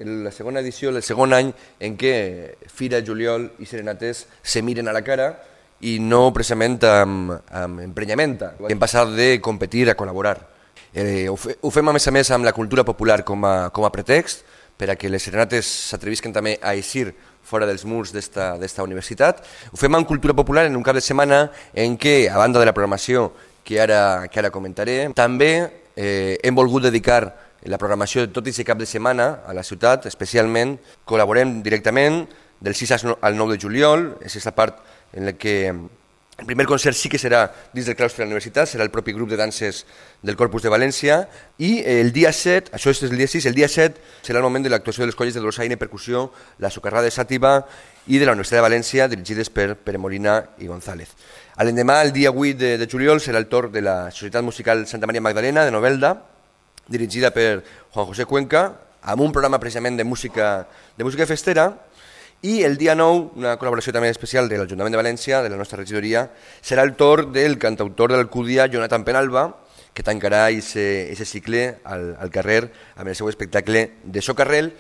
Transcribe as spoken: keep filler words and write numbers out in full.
La segona edició, el segon any en què Fira, Juliol i Serenates se miren a la cara i no precisament amb, amb emprenyamenta. Hem passat de competir a col·laborar. Eh, ho, fe, ho fem a més a més amb la cultura popular com a, com a pretext per a que les Serenates s'atrevisquen també a eixir fora dels murs d'esta universitat. Ho fem amb cultura popular en un cap de setmana en què, a banda de la programació que ara, que ara comentaré, també eh, hem volgut dedicar la programació de tot aquest cap de setmana a la ciutat, especialment col·laborem directament del sis al nou de juliol, és aquesta part en la que el primer concert sí que serà dins del claustre de la universitat, serà el propi grup de danses del Corpus de València, i el dia set, això és el dia sis, el dia set serà el moment de l'actuació de les colles de dolçaina i percussió, la socarrada de Sàtiva i de la Universitat de València, dirigides per Pere Molina i González. A l'endemà, el dia vuit de, de juliol, serà el torn de la Societat Musical Santa Maria Magdalena de Novelda, dirigida per Juan José Cuenca, amb un programa precisament de música, de música festera, i el dia nou, una col·laboració també especial de l'Ajuntament de València, de la nostra regidoria, serà el torn del cantautor de l'Alcúdia, Jonathan Penalba, que tancarà aquest cicle al, al carrer amb el seu espectacle de Socarrel,